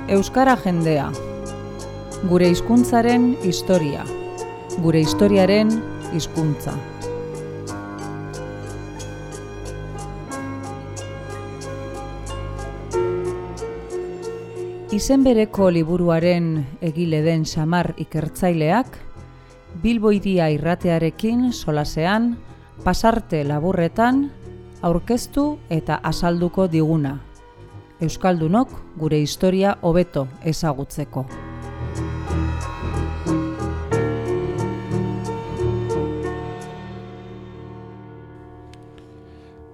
Euskara jendea. Gure hizkuntzaren historia. Gure historiaren hizkuntza. Izen bereko liburuaren egile den Xamar ikertzaileak, Bilbo Hiria irratearekin solasean, pasarte laburretan, aurkeztu eta azalduko diguna. Euskaldunok gure historia hobeto ezagutzeko.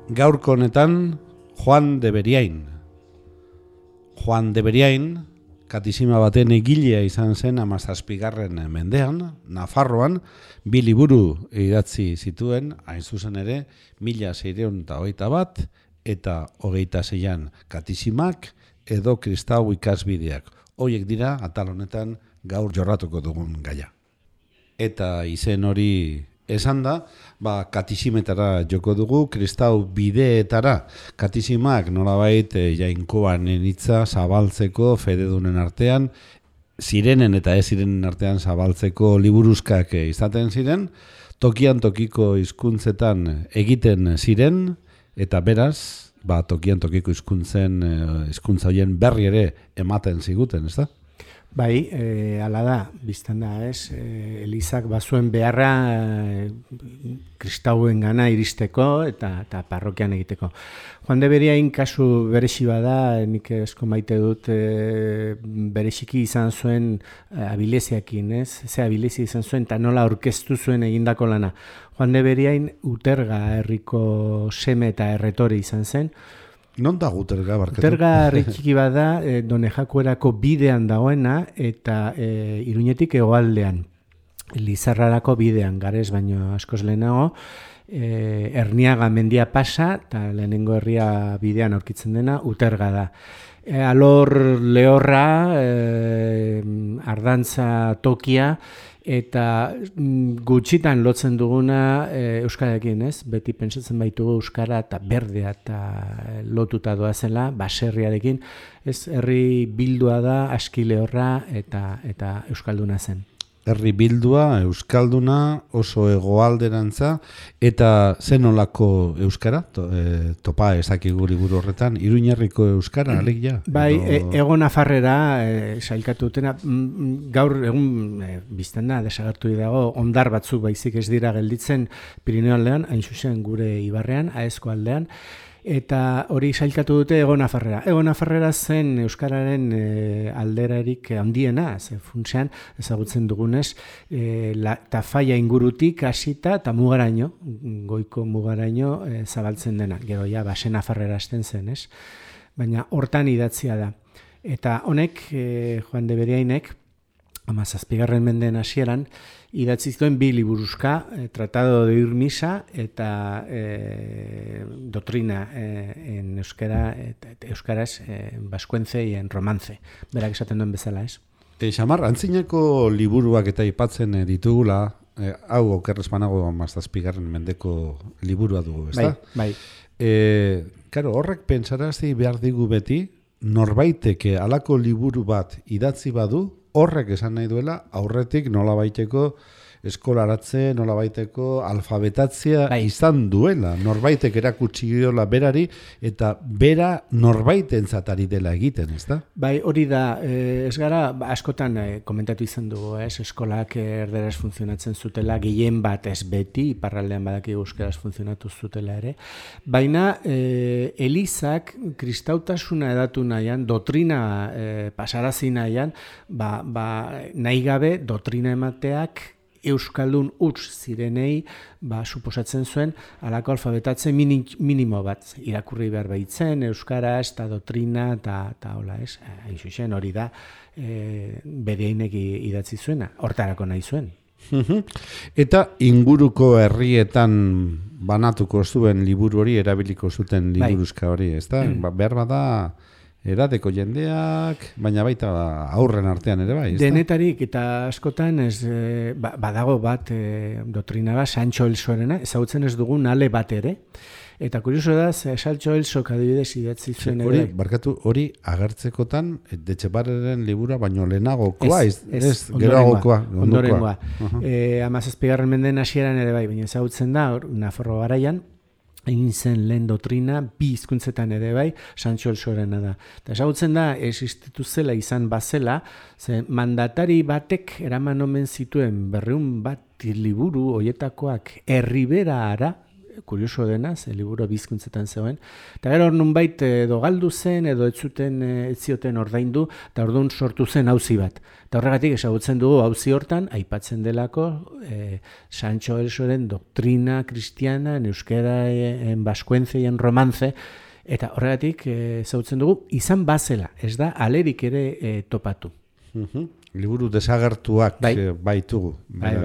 Gaurko honetan, Juan de Beriain. Juan de Beriain, katisima baten egilea izan zen 17. mendean, Nafarroan, 2 liburu idatzi zituen, hain zuzen ere, 1621 eta 26an katisimak edo kristau ikasbideak. Horiek dira, atal honetan, gaur jorratuko dugun gaia. Eta izen hori esan da, katisimetara joko dugu, kristau bideetara. Katisimak nolabait jainkoan hitza zabaltzeko fededunen artean, zirenen eta ez zirenen artean zabaltzeko liburuzkak izaten ziren, tokian tokiko hizkuntzetan egiten ziren, eta beraz, tokian tokiko hizkuntza horien berri ere ematen ziguten, ez da? Bai, hala da, biztan da, ez? Elizak bazuen beharra kristauen gana iristeko eta parrokian egiteko. Juan de Beriain kasu beresi bada, nik esko maite dut beresiki izan zuen abileziakin, ez? Ze abilezia izan zuen eta nola aurkeztu zuen egindako lana. Juan de Beriain Uterga herriko seme eta erretore izan zen. Non da Uterga barkatu? Uterga herri txiki bada, Donejakuerako bidean dagoena eta Iruñetik hegoaldean, Lizarrarako bidean, garez baino askoz lehenago, Erniaga mendia pasa eta lehenengo herria bidean aurkitzen dena Uterga da. Alor lehorra, ardantza tokia, eta gutxitan lotzen duguna euskararekin, ez? Beti pentsatzen baitugu euskara eta berdea eta lotuta doazela, baserriarekin, ez? Herri bildua da, aski lehorra eta euskalduna zen. Herri bildua, euskalduna, oso hegoalderantza, eta zenolako euskara? Topa ezakigu liburu horretan, Iruñerriko euskara, alegia? Bai, Ego Nafarrera sailkatu dutena, gaur egun bizten da, desagertu dago, ondar batzuk baizik ez dira gelditzen Pirineo aldean, hain zuzen gure ibarrean, Aezko aldean, eta hori sailkatu dute Ego Nafarrera. Ego Nafarrera zen euskararen alderarik handiena, ze funtsean ezagutzen dugunez, Tafaia ingurutik hasita eta mugaraino, goiko mugaraino zabaltzen dena. Gero ja, Base Nafarrera hasten zen, ez? Baina hortan idatzia da. Eta honek, Juan de Beriainek, 17. mendeen hasieran, idatzi zituen 2 liburuzka, Tratado de Ir Misa eta Doctrina en euskara, euskaraz, baskuentze en romance. Berak esaten duen bezala, ez? Xamar, antzinako liburuak eta aipatzen ditugula, hau okerrezpanago 17. mendeko liburua dugu, ez da? Bai. Karo, horrek pentsarazi behar digu beti, norbaitek halako liburu bat idatzi badu, horrek esan nahi duela, aurretik nolabaiteko eskolaratze, nolabaiteko alfabetatzea izan duela. Norbaitek erakutsi diola berari, eta bera norbaitentzat ari dela egiten, ez da? Bai, hori da, ez gara, askotan komentatu izan dugu, ez? Eskolak erderaz funtzionatzen zutela, gehien bat ez beti, iparraldean badaki euskaraz funtzionatu zutela ere, baina Elizak kristautasuna edatu nahian, dotrina pasarazi nahian, nahi gabe dotrina emateak euskaldun huts zirenei, suposatzen zuen, halako alfabetatze minimo bat irakurri behar baitzen, euskaraz eta dotrina eta hola, ez? Hain zuzen hori da, Beriainek idatzi zuena, hortarako nahi zuen. Eta inguruko herrietan banatuko zuen liburu hori, erabiliko zuten liburuzka hori, ez da? Behar bada edadeko jendeak, baina baita aurren artean ere bai, ez da? Denetarik eta askotan badago bat dotrina bat, Sancho el Sorena, ezagutzen ez dugun ale bat ere, Eta kurioso da, Saltxo Elsok adibidez idatzi zuen ere. Hori agertzekotan, Etxebarren libura baino lehenagokoa, ez geroagokoa. Ondorengoa. 17. mendeen hasieran ere bai, baina ezagutzen da, Nafarro garaian, egin zen lehen doktrina, bi hizkuntzetan ere bai, Sancho Elsorena da. Eta esagutzen da, existitu zela izan bazela, ze mandatari batek eraman omen zituen 200 bat liburu hoietakoak Erriberara, kurioso dena, ze liburu bizkuntzetan zegoen, eta gero nunbait edo galdu zen, edo ez zioten ordaindu, eta orduan sortu zen auzi bat. Eta horregatik ezagutzen dugu auzi hortan, aipatzen delako Sancho Elsoren doktrina kristiana, en euskera, en baskuence, en romance, eta horregatik ezagutzen dugu, izan bazela, ez da alerik ere topatu. Liburu desagertuak baitugu. Bai.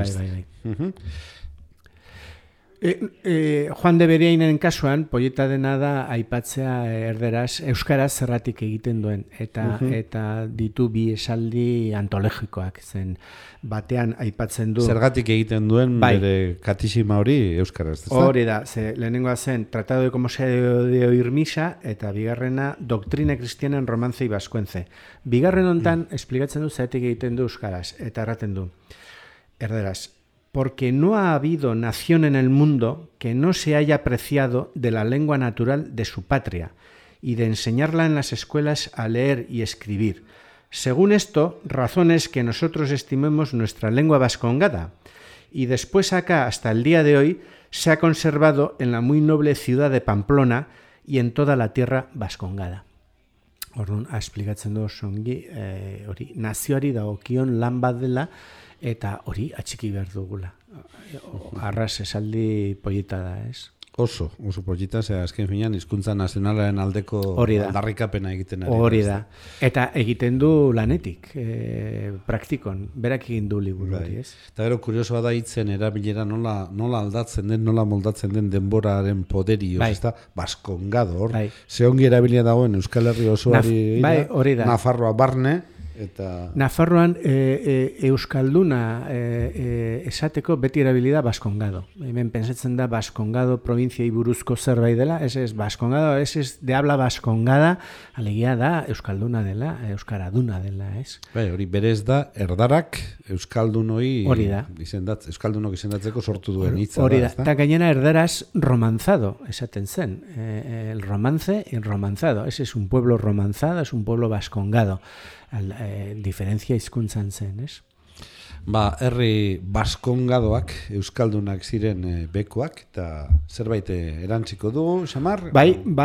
Juan de Beriainen kasuan, poieta dena da aipatzea euskaraz zerratik egiten duen, eta ditu bi esaldi antologikoak, zen batean aipatzen du. Zergatik egiten duen bere katisima hori euskaraz, ez da? Hori da, lehenengoa zen Tratado de cómo se debe oír misa, eta bigarrena Doctrina Cristiana en Romance y Vascuence. Bigarren hontan esplikatzen du zergatik egiten du euskaraz, eta erraten du, erderaz, porque no ha habido nación en el mundo que no se haya apreciado de la lengua natural de su patria y de enseñarla en las escuelas a leer y escribir. Según esto, razones que nosotros estimemos nuestra lengua vascongada. Y después acá, hasta el día de hoy, se ha conservado en la muy noble ciudad de Pamplona y en toda la tierra vascongada. Orduan, esplikatzen du songi, hori, nazioari dagokion lan bat dela, eta hori atxiki behar dugula. Arras esaldi poieta da, ez? Oso poieta, azken finean, hizkuntza nazionalaren aldeko aldarrikapena egiten ari. Hori da. Eta egiten du lanetik, praktikon, berak egin du liburu hori, ez? Eta gero, kuriosoa da hitzen erabilera nola aldatzen den, nola moldatzen den denboraren poderioz, ez da? Baskongado, hor. Ze ongi erabilia dagoen Euskal Herri osoari, Nafarroa barne, eta Nafarroan euskalduna esateko beti erabilida baskongado. Hemen pensatzen da baskongado provinciai buruzko zerbait dela, ez baskongado, ez de habla baskongada, alegia da euskalduna dela, euskaraduna dela, ez? Hori berez da erdarak euskaldunoi euskaldunok izendatzeko sortu duen hitza da. Hori da, eta gainera erdaraz romanzado esaten zen. El romance y romanzado. Ese es un pueblo romanzado, es un pueblo baskongado. Diferentzia hizkuntzan zen, ez? Herri baskongadoak, euskaldunak ziren bekuak, eta zerbait erantziko dugu, Samar?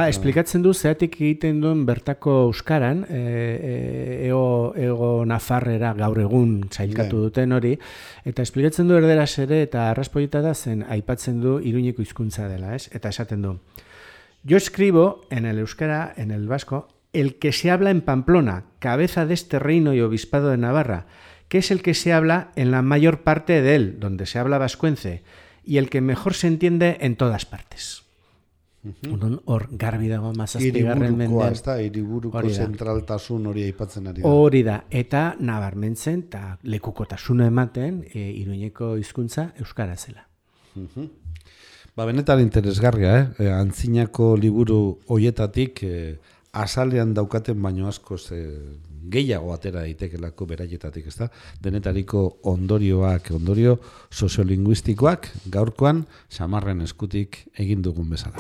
Esplikatzen du zeratik egiten duen bertako euskaran, ego Nafarrera gaur egun sailkatu duten hori, eta esplikatzen du erderaz ere, eta arraspoieta da zen aipatzen du Iruñeko hizkuntza dela, ez? Eta esaten du, yo escribo en el euskara, en el vasco, el que se habla en Pamplona, cabeza de este reino y obispado de Navarra, que es el que se habla en la mayor parte de él, donde se habla vascuence, y el que mejor se entiende en todas partes. Hor garbi dago mazazpigarren mendean. Hiriburuko zentraltasun hori aipatzen ari da. Hori da, eta nabarmentzen, eta lekukotasuna ematen, Iruñeko hizkuntza euskara zela. Benetan interesgarria, antzinako liburu hoietatik azalean daukaten baino askoz gehiago atera daitekelako beraietatik, ezta? Denetariko ondorio soziolinguistikoak gaurkoan Samarren eskutik egin dugun bezala.